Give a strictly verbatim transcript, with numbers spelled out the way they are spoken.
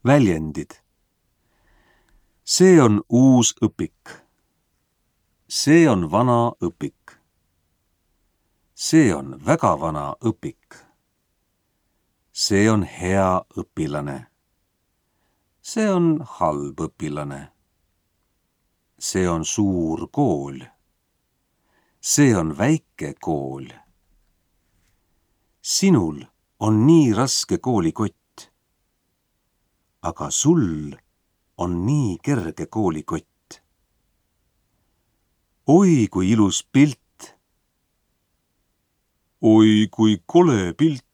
Väljendid. See on uus õpik. See on vana õpik. See on väga vana õpik. See on hea õpilane. See on halb õpilane. See on suur kool. See on väike kool. Sinul on nii raske koolikott, aga sul on nii kerge koolikott. Oi, kui ilus pilt! Oi, kui kole pilt!